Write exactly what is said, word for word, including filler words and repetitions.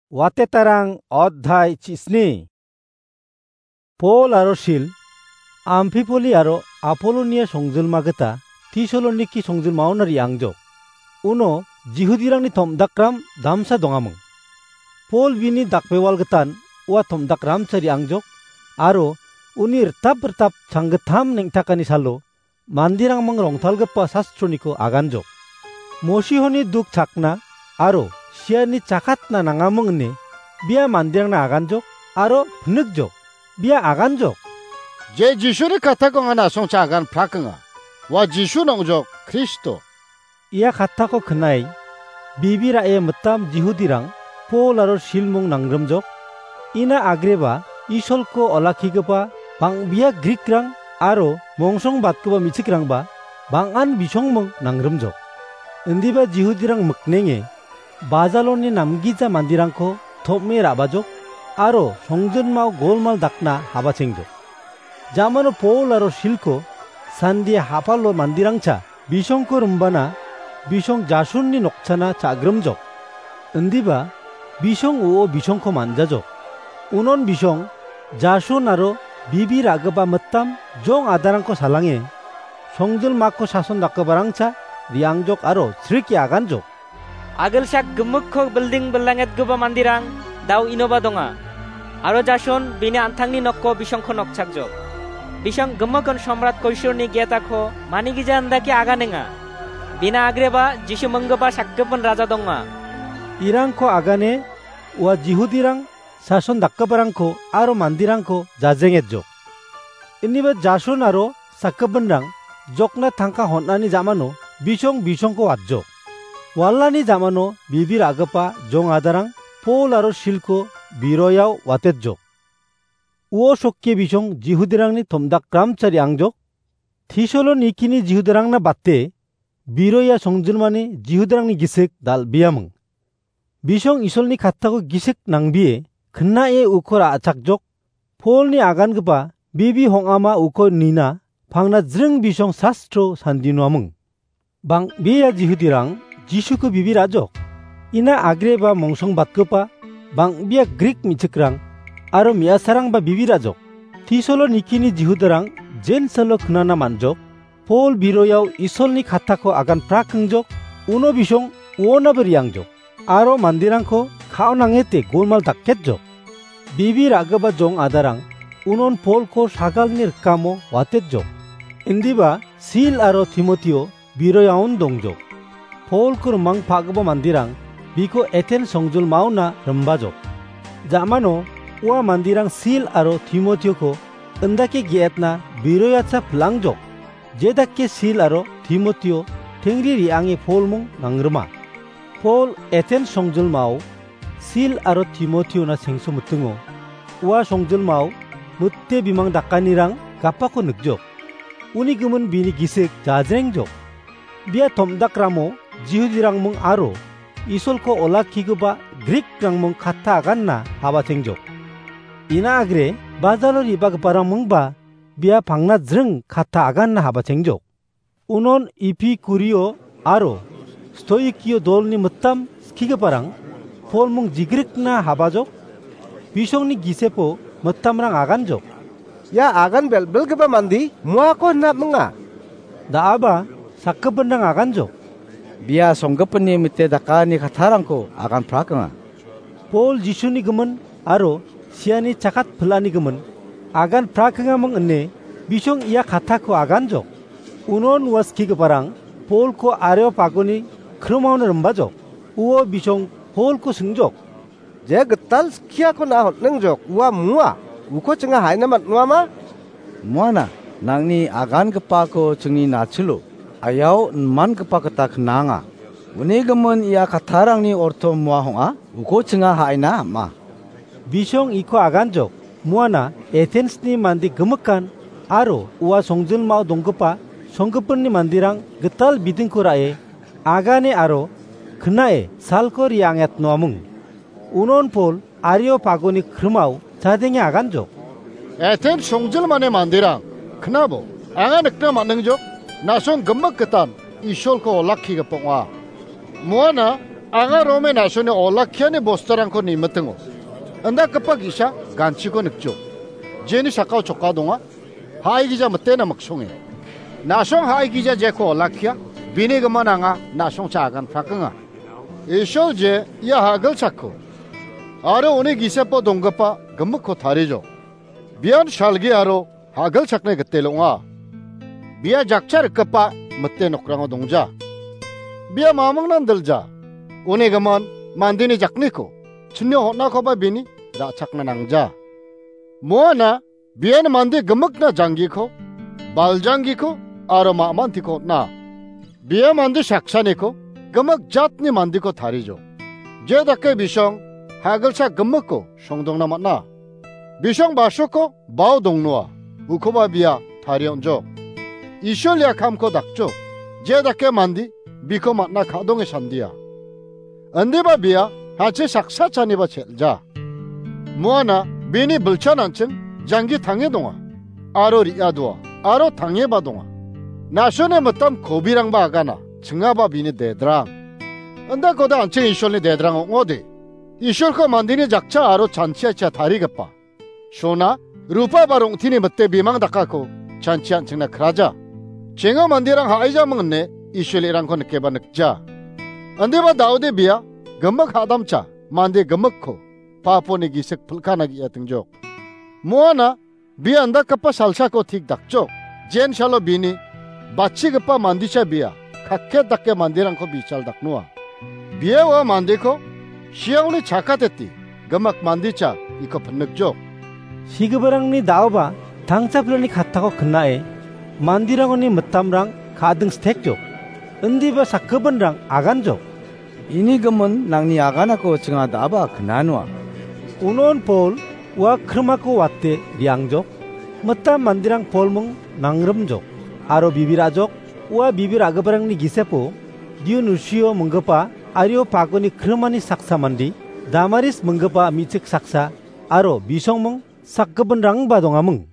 Watetarang odhai chisni. Pol aro Sil, Amphipoli aro Apolonia songjilma gita Tesaloniki songjilmaona re·angjok. Uno Jihudirangni tom·dakram damsa dongaming. Pol bini dakbewal gitan ua tom·dakramsa re·angjok, aro uni ritap ritap changgittam neng·takani salo manderangming rongtalgipa sastroniko aganjok. Mosihoni duk chakna aro siani chakatna nangaming ine bia manderangna aganjok aro pnikjok. Bia aganjok. Je Jisuni kattako anga na·songcha agan prakenga. Ua Jisu nongjok Kristo. Ia kattako knai, bibi ra·e mitam Jihudirang Pol aro Silmung nangrimjok. Ina agreba Isolko olakkigipa bang·bia Grikrang aro mongsongbatgipa me·chikrangba bang·an bisongmung nangrimjok. Indiba Jihudirang miknenge bajaloni namgija manderangko tom·e ra·bajok aro songjinmao golmal dakna habatengjok. Jamano Pol aro Silko sandie hapalo manderangcha bisongko rimbana bisong Jasonni nokchana cha·grimjok. Indiba bisong uo bisongko manjajok. Unon bisong Jason aro bibi ra·gipa mitam jong adarangko salange, songjilmako sason dakgiparangcha re·angjok aro srike aganjok. Agilsak gimikko bilding bilangetgipa manderang dao inoba donga. Aro Jason bini an·tangni nokko bisongko nokchakjok. Bisong gimikon Somrat Koisorni getako manigija indake aganenga. Bina agreba Jisu minggipa sakgipin raja donga. Irangko agane ua Jihudirang sason dakgiparangko aro manderangko jajengetjok. Indiba Jason aro sakgipinrang jokna tangka hon·ani jamano bisong bisongko watjok. Walani jamano bibi ra·gipa jong adarang Pol aro Silko biroiao watetjok. Uo sokke bisong Jihudirangni tomdakramcha re·angjok. Tesalonikini Jihudirangna bate biroia songjilmani Jihudirangni gisik dal·biaming. Bisong Isolni kattako gisik nangbie knae uko ra·chakjok. Polni agangipa bibi hong·ama uko nina pangna jring bisong sastro sandinuaming. Bang·bea Jihudirang Jisuko bibi ra·jok. Ina agreba mongsongbatgipa bang·bea Grik me·chikrang aro me·asarangba bibi ra·jok. Tesalonikini Jihudirang Jensalo knana man·jok. Pol biroiao Isolni kattako agan prakengjok, uno bisong uonaba re·angjok, aro manderangko ka·onangete golmal daketjok. Bibi ra·gipa jong adarang unon Polko sagalni rikamo watetjok. Indiba Sil aro Timotio biroiaon dongjok. Polko rimang pa·gipa manderang biko Eten songjilmaona rimbajok. Ja·mano ua manderang Sil aro Timotioko indake ge·etna biroiacha pilangjok. Jedake Sil aro Timotio tengri re·ange Polmung nangrima. Pol Eten songjilmao Sil aro Timotiona sengso mitingo. Ua songjilmao mite bimang dakanirang gapako nikjok. Uni gimin bini gisik jajrengjok. Bia tomdakramo Jihudirangmung aro Isolko olakkigipa Grikrangmung katta aganna habatengjok. Ina agre bajalo re·bagiparangmungba bia pangna jring katta aganna habatengjok. Unon Epikurio aro Stoikio dolni mitam skigiparang Polmung jigrikna habajok, bisongni gisepo mitamrang aganjok. Ia agan bel·belgipa mande muako hinapminga. Da·aba sakgipinrang aganjok. Bia songgipinni mite dakani kattarangko agan prakenga. Pol Jisuni gimin aro siani chakat pil·ani gimin agan prakengaming ine bisong ia kattako aganjok. Unon ua skigiparang Polko Areopagoni krimao rimbajok. Uo bisong Polko singjok. Je gital skiako na hon·ingjok, ua mua, uko chinga haina man·uama? Muana, nangni agangipako chingni nachilo, ayao inmangipa gita knanga. Uni gimin ia kattarangni orto mua hong·a, uko chinga haina am·a. Bisong iko aganjok, muana Etensni mande gimikan aro ua songjilmao donggipa songgipinni manderang gital bidingko ra·e, agane aro knae salko re·angetnoaming. Unon Pol Areopagoni krimao chadenge aganjok. Eten songjilmani manderang, knabo, anga nikna man·ingjok, na·song gimik gitan Isolko olakkigipa ong·a. Muana Anga Rome na·songni olakkiani bosturangko nimitingo indakgipa ge·sa ganchiko nikjo. Jeni sakao choka donga, ha·igija mitena miksonge. Na·song ha·igija jeko olakkia, bini gimin anga na·songcha agan prakenga. Isol je ia ha·gilchakko aro uni gisepo donggipa gimikko tarijo. Bian salgi aro ha·gilchakni gitel ong·a. Bia jakcha rikgipa mite nokrango dongja. Bia mamingnan dilja. Uni gimin mandeni jakniko chinio hon·akoba bini ra·chakna nangja. Moana bian mande gimikna janggiko, baljanggiko aro ma·mantiko on·a. Bia mande saksaniko gimik jatni mandeko tarijo. Je dake bisong ha·gilchak gimikko songdongna man·a. Bisong basoko bao dongnoa, ukoba bia tarie on·jok. Isol ia kamko dakjok, je dake mande biko man·a ka·donge sandia. Indiba bia hanche saksa chaniba chel·ja. Moana bini bilchan an·ching janggi tange donga, aro re·a doa, aro tangeba donga. Na·songni mitam kobirangba agana, chingaba bini dedrang. Indakoda an·ching Isolni dedrang ong·ode. Isolko mandeni jakcha aro chanchiacha tarigipa. Sona, rupa ba rong·teni mite bimang dakako chanchi an·chingna kraja. Chengo manderang ha·aijaming ine Isolni rangko nikeba nikja. Indiba da·ode bia gimik ha·damcha mande gimikko paponi gisik pilkana ge·atingjok. Moana bia indakgipa salsako tik dakjok. Jen salo bini batchigipa mandecha bia kakket dake manderangko bichal daknoa. Bia ua mandeko siaoni chakateti gimik mandecha iko pinikjok. Sigiparangni da·oba tangchaplani kattako knae manderangoni mitamrang ka·ding stekjok. Indiba sakgipinrang aganjok. Ini gimin nangni aganako chinga da·aba knanoa. Unon Pol ua krimako wate re·angjok. Mitam manderang Polming nangrimjok. Aro bibir ajok, ua bibir a·giparangni gisepo Dionusio minggipa Areopagoni krimani saksa mande, Damaris minggipa me·chik saksa, aro bisongming sakgipinrangba dongaming.